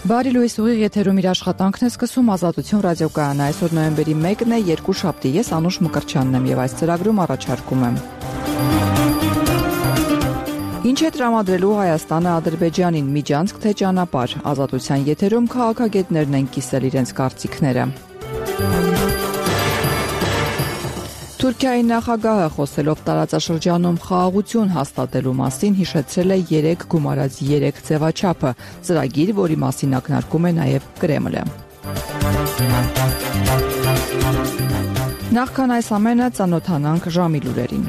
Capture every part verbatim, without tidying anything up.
Բարի լույս, ուղիղ եթերում իր աշխատանքն է սկսում Ազատություն ռադիոկայանը։ Այսօր նոյեմբերի մեկն է, երկուշաբթի, ես Անուշ Մկրտչյանն եմ եւ այս ծրագրում առաջարկում եմ. Ինչ է տրամադրելու Հայաստանը Ադրբեջանին, միջանցք թե ճանապարհ։ Ազատության եթերում քաղաքագետներն են կիսել իրենց կարծիքները։ Թուրքիայի նախագահը խոսելով տարածաշրջանում խաղաղություն հաստատելու մասին հիշեցրել է երեք գումարած երեք ձևաչափը, ծրագիր, որի մասին ակնարկում է նաև Կրեմլը։ Նախքան այս ամենը ծանոթանանք ժամի լուրերին։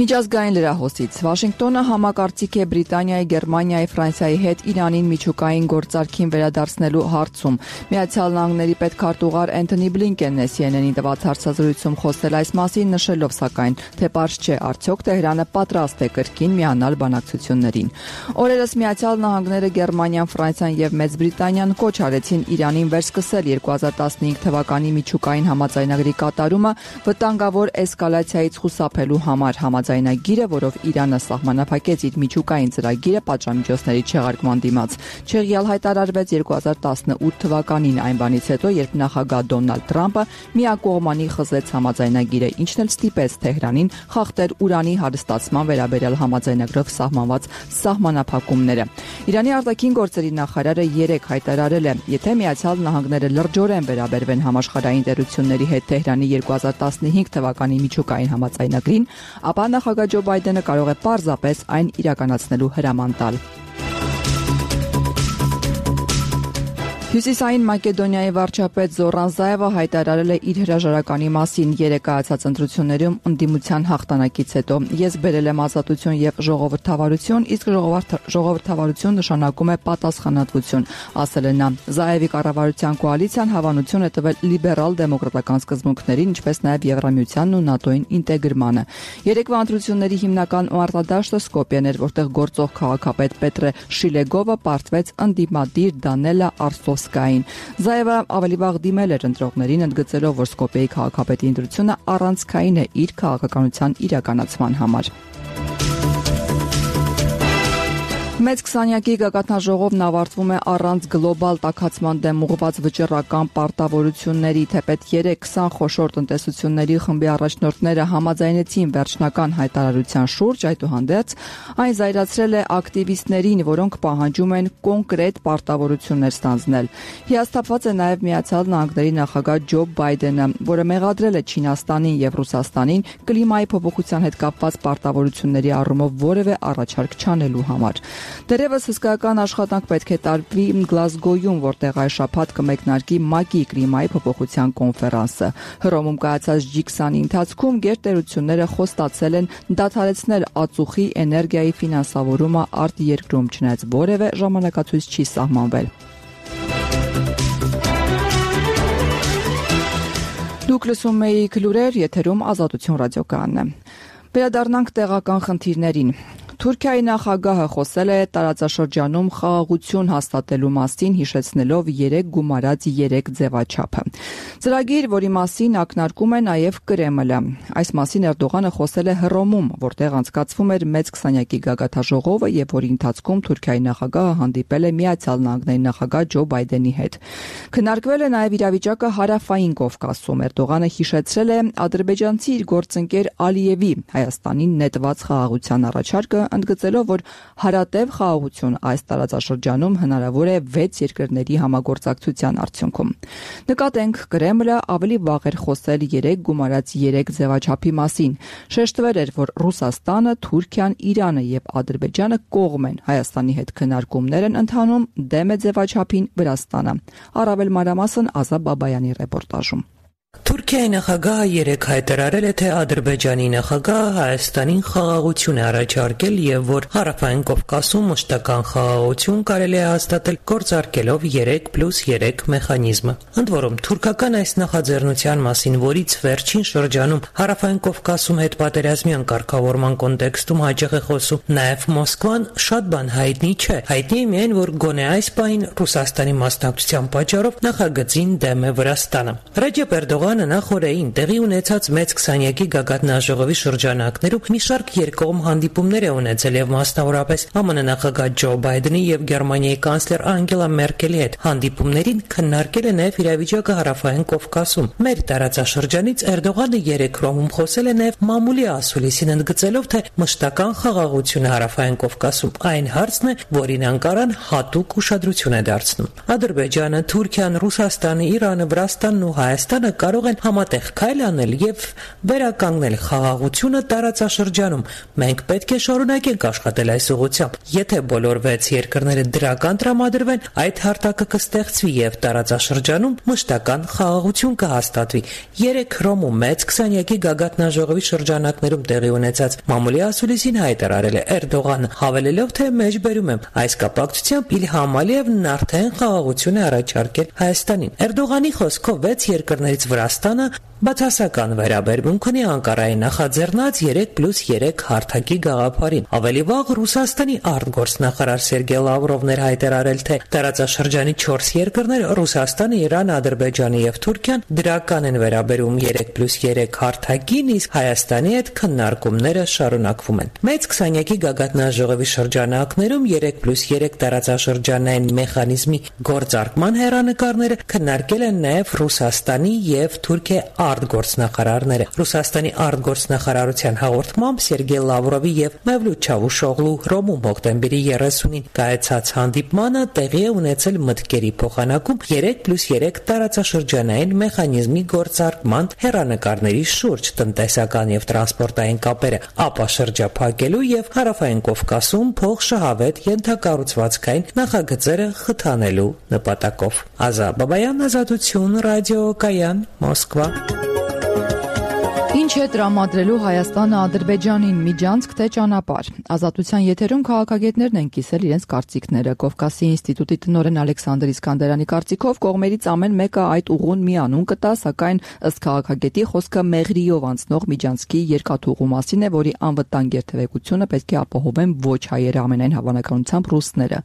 Միջազգային լրահոսից Վաշինգտոնը համակարծիք է Բրիտանիայի, Գերմանիայի, Ֆրանսիայի հետ Իրանին միջուկային գործարքին վերադարձնելու հարցում։ Միացյալ Նահանգների պետքարտուղար Էնթոնի Բլինկենն է C N N-ին տված հարցազրույցում խոսել այս մասին, նշելով սակայն, թե պարզ չէ արդյոք Թեհրանը պատրաստ է կրկին միանալ բանակցություններին։ Օրերս Միացյալ Նահանգները, Գերմանիան, Ֆրանսիան եւ Մեծ Բրիտանիան կոչ արեցին Իրանին վերսկսել երկու հազար տասնհինգ թվականի միջուկային համաձայնագրի կատարումը վտանգավոր էսկալացիայից խուսափելու համար համաձայնագիրը, որով Իրանը սահմանափակեց իր միջուկային ծրագիրը պատժամիջոցների չեղարկման դիմաց։ Չեղյալ հայտարարվեց երկու հազար տասնութ թվականին, այն բանից հետո, երբ նախագահ Դոնալդ Թրամփը միակողմանի խզեց համաձայնագիրը, ինչն էլ ստիպեց Թեհրանին խախտել ուրանի հարստացման վերաբերյալ համաձայնագրով սահմանված սահմանափակումները։ Իրանի արտաքին գործերի նախարարը երեկ հայտարարել է, եթե Միացյալ Նահանգները լրջորեն վերաբերվեն համաշխարհային տերությունների հետ Թեհրանի երկու հազար տասնհինգ թվականի միջուկային համաձայնագրին, ապա նախագահ Ջո Բայդենը կարող է պարզապես այն իրականացնելու հրաման տալ։ Հյուսիսային Մակեդոնիայի վարչապետ Զորան Զայևը հայտարարել է իր հրաժարականի մասին երեկ կայացած ընտրություններում ընդդիմության հաղթանակից հետո։ Ես բերել եմ ազատություն եւ ժողովրդավարություն, իսկ ժողովրդավարություն նշանակում է պատասխանատվություն, ասել է նա։ Զայևի կառավարության կոալիցիան հավանություն է տվել լիբերալ դեմոկրատական սկզբունքներին, ինչպես նաեւ Եվրամիությանն ու ՆԱՏՕ-ին ինտեգրմանը։ Երեկվա ընտրությունների հիմնական մարտադաշտը Սկոպիեն էր, որտեղ գործող քաղաքապետ Պետրե Շիլեգովը պարտվեց ընդդիմադիր Դանելա Արսով Զայևը ավելի վաղ դիմել էր ընտրողներին, ընդգծելով, որ Սկոպիեի քաղաքապետի ընտրությունը առանցքային է իր քաղաքականության իրականացման համար։ Մեծ քսանյակի գագաթնաժողովն ավարտվում է առանց գլոբալ տաքացման դեմ ուղղված վճռական պարտավորությունների, թեպետ երեք քսան խոշոր տնտեսությունների խմբի առաջնորդները համաձայնեցին վերջնական հայտարարության շուրջ, այդուհանդերձ այն զայրացրել է ակտիվիստներին, որոնք պահանջում են կոնկրետ պարտավորություններ ստանձնել։ Հիասթափված է նաև Միացյալ Նահանգների նախագահ Ջո Բայդենը, որը մեղադրել է Չինաստանին եւ Ռուսաստանին կլիմայի փոփոխության հետ կապված պարտավորությունների առումով որևէ առաջարկ չանելու համար։ Դերևս հսկայական աշխատանք պետք է տարվի Գլազգոյում, որտեղ այս շաբաթ կմեկնարկի ՄԱԿ-ի կլիմայի փոփոխության կոնֆերանսը։ Հռոմում կայացած Ջի քսանի ընթացքում գերտերությունները խոստացել են դադարեցնել ածուխի էներգիայի ֆինանսավորումը արտերկրում, չնայած որևէ ժամանակացույց չի սահմանվել։ Դուք լսում եք լուրեր, եթերում Ազատություն ռադիոկայանն է։ Վերադառնանք տեղական խնդիրներին։ Թուրքիայի նախագահը խոսել է տարածաշրջանում խաղաղություն հաստատելու մասին, հիշեցնելով երեք գումարած երեք ձևաչափը։ Ծրագիր, որի մասին ակնարկում է նաև Կրեմլը։ Այս մասին Էրդողանը խոսել է Հռոմում, որտեղ անցկացվում էր մեծ քսանյակի գագաթնաժողովը եւ որի ընթացքում Թուրքիայի նախագահը հանդիպել է Միացյալ Նահանգների նախագահ Ջո Բայդենի հետ։ Քննարկվել է նաև իրավիճակը Հարավային Կովկասում։ Էրդողանը հիշեցրել է ադրբեջանցի իր գործընկեր Ալիևի Հայաստանին նետված խաղաղության առաջարկը, ընդգծելով, որ հարատև խաղաղություն այս տարածաշրջանում հնարավոր է վեց երկրների համագործակցության արդյունքում։ Նկատենք, Կրեմլը ավելի վաղ էր խոսել երեք գումարած երեք ձևաչափի մասին։ Շեշտվել էր, որ Ռուսաստանը, Թուրքիան, Իրանը եւ Ադրբեջանը կողմ են Հայաստանի հետ քննարկումներ են ընթանում, դեմ է ձևաչափին Վրաստանը։ Առավել մանրամասն Ազա Բաբայանի ռեպորտաժում։ Թուրքիայի նախագահը երեկ հայտարարել է, թե Ադրբեջանի նախագահը Հայաստանին խաղաղություն է առաջարկել եւ որ Հարավային Կովկասում մշտական խաղաղություն կարելի է հաստատել գործարկելով երեք պլյուս երեք մեխանիզմը։ Ընդ որում, թուրքական այս նախաձեռնության մասին, որից վերջին շրջանում Հարավային Կովկասում հետպատերազմյան կարգավորման կոնտեքստում հաճախ է խոսում նաեւ Մոսկվան, շատ բան հայտնի չէ։ Հայտնի է միայն, որ գոնե այս պահին Ռուսաստանի մասնակցության պատճառով նախագծին դեմ է Վրաստանը։ Ռեջեփ Էրդողանը նախորդին տեղի ունեցած մեծ քսանյակի գագաթնաժողովի շրջանակներում մի շարք երկկողմ հանդիպումներ է ունեցել եւ մասնավորապես ԱՄՆ նախագահ Ջո Բայդենի եւ Գերմանիայի կանցլեր Անգելա Մերկելի հետ հանդիպումներին քննարկել է նաեւ իրավիճակը Հարավային Կովկասում։ Մեր տարածաշրջանից Էրդողանը երեք Հռոմում խոսել է նաեւ մամուլի ասուլիսին ընդգծելով, թե մշտական խաղաղությունը Հարավային Կովկասում այն հարցն է, որին Անկարան հատուկ ուշադրություն է դարձնում։ Ադրբեջանը, Թուրքիան, Ռուսաստանը, Իրանը, Վրաստանն ու Հայաստանը կարող են համատեղ քայլ անել եւ վերականգնել խաղաղությունը տարածաշրջանում։ Մենք պետք է շարունակենք աշխատել այս ուղղությամբ։ Եթե բոլոր վեց երկրները դրական տրամադրվեն, այդ հարթակը կստեղծվի եւ տարածաշրջանում մշտական խաղաղություն կհաստատվի։ Երեք Հռոմում մեծ քսանյակի գագաթնաժողովի շրջանակներում տեղի ունեցած մամուլի ասուլիսին հայտարարել է Էրդողանը, հավելելով, թե մեջբերում եմ այս կապակցությամբ Իլհամ Ալիևն արդեն խաղաղություն է առաջարկել Հայաստանին։ Էրդողանի խոսքով վեց երկրներից Վրաստանը բացասական վերաբերմունք ունի Անկարայի նախաձեռնած երեք պլյուս երեք հարթակի գաղափարին։ Ավելի վաղ Ռուսաստանի արտգործնախարար Սերգեյ Լավրովն էր հայտարարել, թե տարածաշրջանի չորս երկրներ՝ Ռուսաստանը, Իրանը, Ադրբեջանը եւ Թուրքիան դրական են վերաբերում երեք պլյուս երեք հարթակին, իսկ Հայաստանի հետ քննարկումները շարունակվում են։ Մեծ քսանյակի գագաթնաժողովի շրջանակներում երեք պլյուս երեք տարածաշրջանային մեխանիզմի գործարկման հեռանկարները քննարկել են նաեւ Ռուսաստանի եւ Թուրքիայի արտգործնախարարները։ Ռուսաստանի արտգործնախարարության հաղորդմամբ Սերգեյ Լավրովի եւ Մևլութ Չավուշօղլու Հռոմում հոկտեմբերի երեսունին կայացած հանդիպմանը տեղի է ունեցել մտքերի փոխանակում երեք պլյուս երեք տարածաշրջանային մեխանիզմի գործարկման հեռանկարների շուրջ տնտեսական եւ տրանսպորտային կապերը ապա շրջափակելու եւ Հարավային Կովկասում փոխշահավետ ենթակառուցվածքային նախագծերը խթանելու նպատակով։ Ազա Բաբայան, Ազատություն, Ռադիո Կայան, Մոսկվա։ Ինչ է տրամադրելու Հայաստանը Ադրբեջանին՝ միջանցք թե ճանապարհ։ Ազատության եթերում քաղաքագետներն են կիսել իրենց կարծիքները։ Կովկասի ինստիտուտի տնօրեն Ալեքսանդր Իսկանդարյանի կարծիքով կողմերից ամեն մեկը այդ ուղուն մի անուն կտա, սակայն ըստ քաղաքագետի խոսքը Մեղրիով անցնող միջանցքի երկաթուղու մասին է, որի անվտանգ երթևեկությունը պետք է ապահովեն ոչ հայերը, ամենայն հավանականությամբ ռուսները։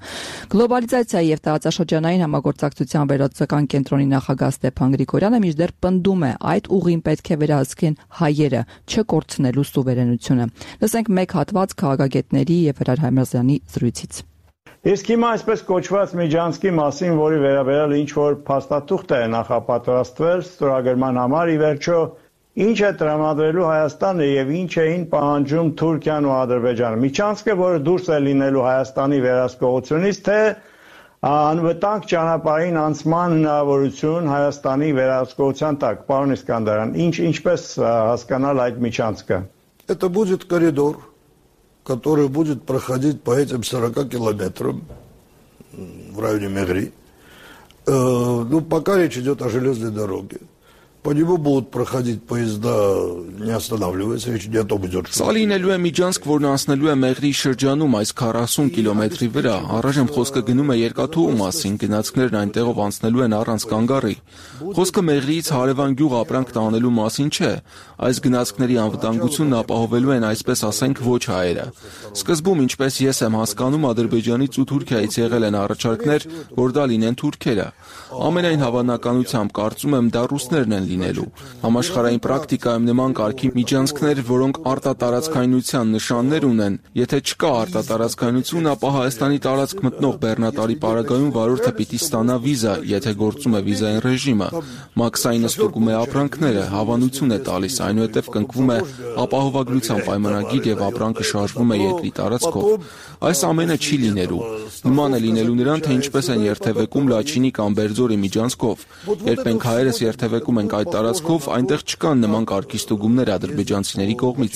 Գլոբալիզացիայի եւ տարածաշրջանային համագործակցության վերահսկական կենտրոնի նախագահ Ստեփան Գրիգորյանը մինչդեռ պնդում է, այդ ուղին պետք է վերահսկեն հայերը, չկորցնելու սուվերենությունը։ Լսենք մեկ հատված քաղաքագետների եւ Հրար Հայմազյանի զրույցից։ Իսկ հիմա այսպես կոչված միջանցքի մասին, որի վերաբերյալ ինչ որ փաստաթուղթ է նախապատրաստվել ստորագրման համար, ի վերջո ինչ է տրամադրելու Հայաստանը եւ ինչ էին պահանջում Թուրքիան ու Ադրբեջանը։ Միջանցքը, որը դուրս է լինելու Հայաստանի վերահսկողությունից, թե անվտանգ ճանապարհին անցման հնարավորություն Հայաստանի վերահսկողության տակ։ Պարոն Իսկանդարյան, ինչ ինչպես հասկանալ այդ միջանցքը։ Это будет коридор, который будет проходить по этим сорока километрам в районе Мегри. Ну, пока речь идет о железной дороге. По нему будут проходить поезда, не останавливаясь, речь не о том идет, что... Սա լինելու է միջանցք, որն անցնելու է Մեղրի շրջանում այս քառասուն կիլոմետրի վրա։ Առայժմ խոսքը գնում է երկաթուղու մասին, գնացքներն այնտեղով անցնելու են առանց կանգառի։ Խոսքը Մեղրիից հարևան գյուղ ապրանք տանելու մասին չէ։ Այս գնացքների անվտանգությունն ապահովելու են, այսպես ասենք, ոչ հայերը։ Սկզբում, ինչպես ես եմ հասկանում, Ադրբեջանից ու Թուրքիայից եղել են առաջարկներ, որ դա լինեն թուրքերը։ Ամենայն հավանականությամբ կարծում եմ դա ռուսներն են լինելու։ Համաշխարհային պրակտիկայում նման կարգի միջանցքներ, որոնք արտատարածքայնության նշաններ ունեն, եթե չկա արտատարածքայնություն, ապա Հայաստանի տարածք մտնող բեռնատարի պարագայում վարորդը պիտի ստանա վիզա, եթե գործում է վիզային ռեժիմը։ Մաքսայինը ստուգում է ապրանքները, հավանություն է տալիս, այնուհետև կնքվում է ապահովագրության պայմանագիր եւ ապրանքը շարժվում է երկրի տարածքով։ Այս ամենը չի լինելու։ Նման է լինելու նրան, թե ինչպես են երթևեկում Լաչինի կամ Բերձորի միջանցքով։ Երբ մենք հայերս երթևեկում ենք այդ տարածքով այնտեղ չկան նման կարգի ստուգումներ ադրբեջանցիների կողմից։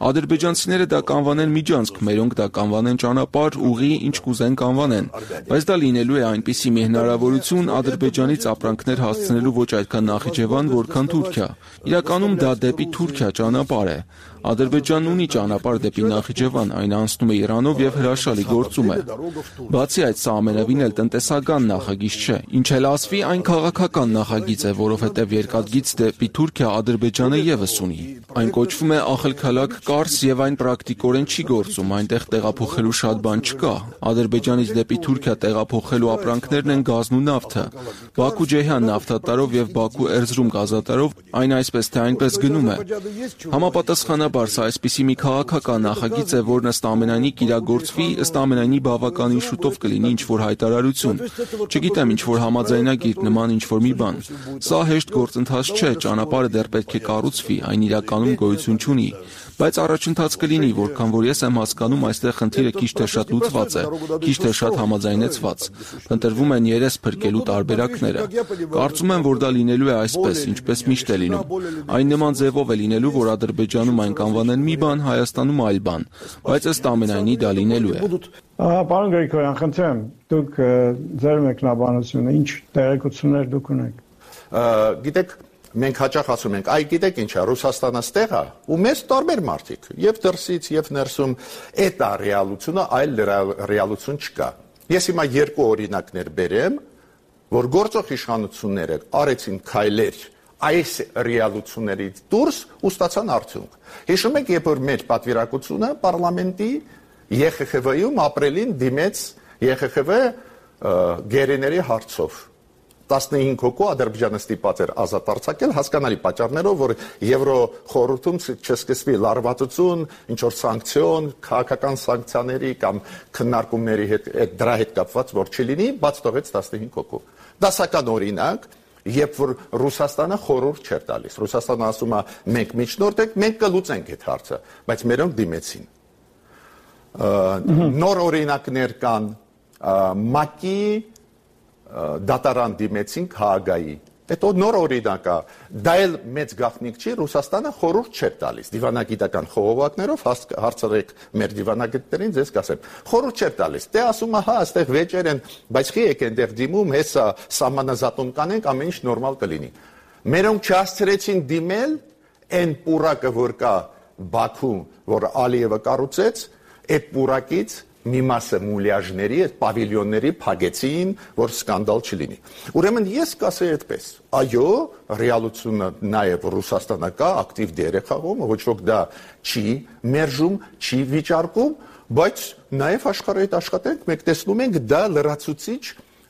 Ադրբեջանցիները դա կանվանեն միջանցք, մերոնք դա կանվանեն ճանապարհ, ուղի, ինչ կուզեն կանվանեն, բայց դա լինելու է այնպիսի մի հնարավորություն Ադրբեջանից ապրանքներ հասցնելու ոչ այդքան Նախիջևան, որքան Թուրքիա։ Իրականում դա դեպի Թուրքիա ճանապարհ է։ Ադրբեջանն ունի ճանապարհ դեպի Նախիջևան, այն անցնում է Իրանով եւ հրաշալի գործում է։ Բացի այդ, սա ամենևին էլ տնտեսական նախագիծ չէ։ Ինչ էլ ասվի, այն քաղաքական նախագիծ է, որովհետեւ երկաթգիծ դեպի Թուրքիա Ադրբեջանը եւս ունի։ Այն կոչվում է Ախալքալակ Կարս եւ այն պրակտիկորեն չի գործում, այնտեղ տեղափոխելու շատ բան չկա։ Ադրբեջանից դեպի Թուրքիա տեղափոխելու ապրանքներն են գազն ու նավթը։ Բաքու-Ջեհան նավթատարով եւ Բաքու-Էրզրում գազատարով այն այսպես թե այնպես գնում է։ Համապատասխանաբար սա այսպիսի մի քաղաքական նախագիծ է, որն ըստ ամենայնի կիրագործվի, ըստ ամենայնի բավականին շուտով կլինի ինչ-որ հայտարարություն։ Չգիտեմ, ինչ-որ համաձայնագիր, նման ինչ-որ մի բան։ Սա հեշտ գործընթաց չէ, ճանապարհը դեռ պետք է կառուցվի, այն իրականում գոյություն չունի։ Բայց առաջընթաց կլինի, որքան որ ես եմ հասկանում, այստեղ խնդիրը քիչ թե շատ լուծված է, քիչ թե շատ համաձայնեցված։ Ընտրվում են երես փրկելու տարբերակները։ Կարծում եմ, որ դա լինելու է այսպես, ինչպես միշտ է լինում։ Այն նման ձևով է լինելու, որ Ադրբեջանում այն կանվանեն մի բան, Հայաստանում այլ բան, բայց ըստ ամենայնի դա լինելու է։ Պարոն Գրիգորյան, խնդրեմ, դուք ձեր մեկնաբանությունը ինչ տեղեկություններ դուք ունեք։ Գիտեք, մենք հաճախ ասում ենք, այ գիտեք ինչ է, Ռուսաստանը ստեղ է, ու մեզ տարբեր մարդիկ, եւ դրսից, եւ ներսում, այդ է ռեալությունը, այլ ռեալություն չկա։ Ես հիմա երկու օրինակներ բերեմ, որ գործող իշխանությունները արեցին քայլեր այս ռեալություններից դուրս ու ստացան արդյունք։ Հիշում եք, երբ որ մեր պատվիրակությունը պարլամենտի Է Խ Խ V-ում ապրիլին դիմեց Է Խ Խ V գերիների հարցով։ տասնհինգ հոգու Ադրբեջանը ստիպված էր ազատ արձակել հասկանալի պատճառներով, որ Եվրոխորհրդում չսկսվի լարվածություն, ինչ որ սանկցիոն, քաղաքական սանկցիաների կամ քննարկումների հետ դրա հետ կապված որ չլինի, բաց թողեց տասնհինգ հոգու։ Դասական օրինակ, երբ որ Ռուսաստանը խորհուրդ չէր տալիս։ Ռուսաստանը ասում է, մենք միջնորդ ենք, մենք կլուծենք այդ հարցը, բայց մերոնք դիմեցին։ Նոր օրինակներ կան ՄԱԿ-ի դատարան դիմեցին Հաագայի։ Հետո նոր օրինակ է, դա էլ մեծ գաղտնիք չի, Ռուսաստանը խորհուրդ չէր տալիս դիվանագիտական խողովակներով, հարցրեք մեր դիվանագետներին, ձեզ կասեմ, խորհուրդ չէր տալիս։ Դե ասում է, հա, այստեղ վեճեր են, բայց խի եք այնտեղ դիմում, հեսա սահմանազատում կանենք, ամեն ինչ նորմալ կլինի։ Մերոնք չհասցրեցին դիմել այն պուրակը, որ կա Բաքու, որ Ալիևը կառուցեց, այդ պուրակից մի մասը մուլյաժների, այդ պավիլյոնների փակեցին, որ սկանդալ չլինի։ Ուրեմն ես կասեի այդպես. այո, ռեալությունը նաև Ռուսաստանը կա, ակտիվ դեր է խաղում, ոչ ոք դա չի մերժում, չի վիճարկում, բայց նաև աշխարհի հետ աշխատենք, մենք տեսնում ենք դա լրացուցիչ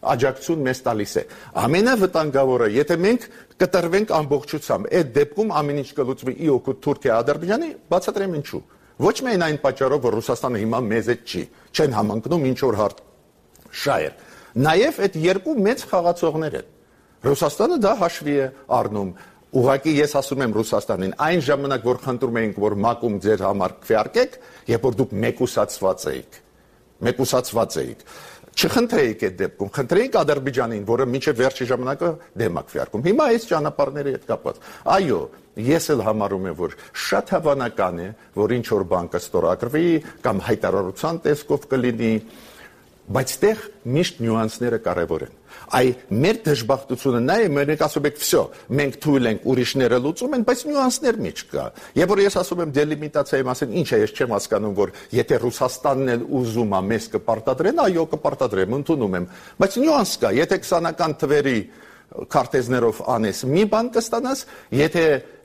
աջակցություն մեզ տալիս է։ Ամենավտանգավորը, եթե մենք կտրվենք ամբողջությամբ, այդ դեպքում ամեն ինչ կլուծվի ի օգուտ Թուրքիա-Ադրբեջանի, բացատրեմ ինչու։ Ոչ միայն այն պատճառով, որ Ռուսաստանը հիմա մեզ հետ չի, չեն համընկնում ինչ որ հարց շահեր։ Նաև այդ երկու մեծ խաղացողներ են։ Ռուսաստանը դա հաշվի է առնում։ Ուղղակի ես ասում եմ Ռուսաստանին, այն ժամանակ, որ խնդրում էինք, որ ՄԱԿ-ում ձեր համար քվեարկեք, երբ որ դուք մեկուսացված էիք, մեկուսացված էիք, չխնդրեիք այդ դեպքում, խնդրեիք Ադրբեջանին, որը մինչև վերջի ժամանակը դեմ է քվեարկում։ Հիմա այս ճանապարհների հետ կապված։ Այո, ես էլ համարում եմ, որ շատ հավանական է, որ ինչ որ բան կստորագրվի կամ հայտարարության տեսքով կլինի, բայց այդտեղ միշտ նյուանսները կարևոր են։ Այ մեր դժբախտությունը նա է, մենք ասում ենք, վсё, մենք թույլ ենք, ուրիշները լուծում են, բայց նյուանսներ մի չկա։ Երբ որ ես ասում եմ դելիմիտացիայի մասին, ինչ է, ես չեմ հասկանում, որ եթե Ռուսաստանն էլ ուզում է մեզ կպարտադրեն, այո, կպարտադրեմ, ընդունում եմ, բայց նյուանս կա, եթե քսանական թվերի քարտեզներով անես մի բան կստանաս, եթե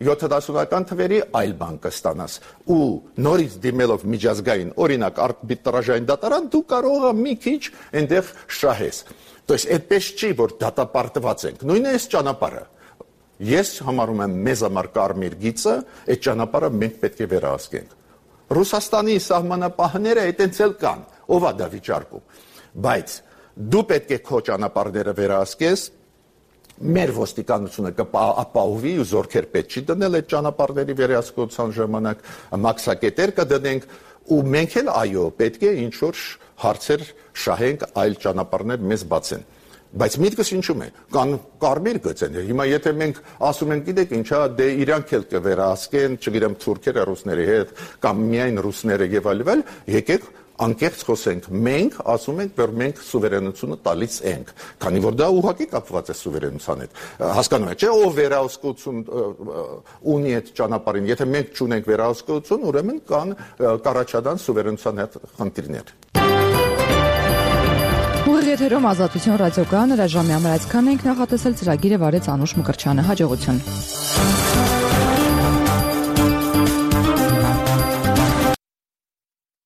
յոթանասունական թվերի այլ բան կստանաս։ Ու նորից դիմելով միջազգային, օրինակ արբիտրաժային դատարան, դու կարող ես մի քիչ այնտեղ շահես։ То есть այդպես չի, որ դատապարտված ենք։ Նույնն է այս ճանապարհը։ Ես համարում եմ մեզ համար կարմիր գիծը, այդ ճանապարհը մենք պետք է վերահսկենք։ Ռուսաստանի սահմանապահները այդտենց էլ կան, ով է դա վիճարկում։ Բայց դու պետք է քո ճանապարհները վերահսկես, մեր ոստիկանությունը կապահովի ու զորքեր պետք չի դնել այդ ճանապարհների վերահսկողության ժամանակ, մաքսակետեր կդնենք ու մենք էլ այո պետք է ինչ որ հարցեր շահենք, այլ ճանապարհներ մեզ բացեն։ Բայց միտքս ինչու՞մ է։ Կան կարմիր գծեր։ Հիմա եթե մենք ասում ենք, գիտեք ինչա, դե իրանք էլ կվերահսկեն, չգիտեմ, թուրքերը ռուսների հետ կամ միայն ռուսները եւ այլն, եկեք անկեղծ խոսենք։ Մենք ասում ենք, որ մենք սուվերենությունը տալիս ենք, քանի որ դա ուղղակի կապված է սուվերենության հետ։ Հասկանում եք, չէ՞, ով վերահսկություն ունի այդ ճանապարհին։ Եթե մենք չունենք վերահսկություն, ուրեմն կան կառաջադան սուվերենության հետ խնդիրներ։ Ուղիղ եթերում Ազատություն ռադիոկայանը հրաժամյա մրացքան ենք նախատեսել ծրագիրը վարեց Անուշ Մկրտչյանը։ Հաջողություն։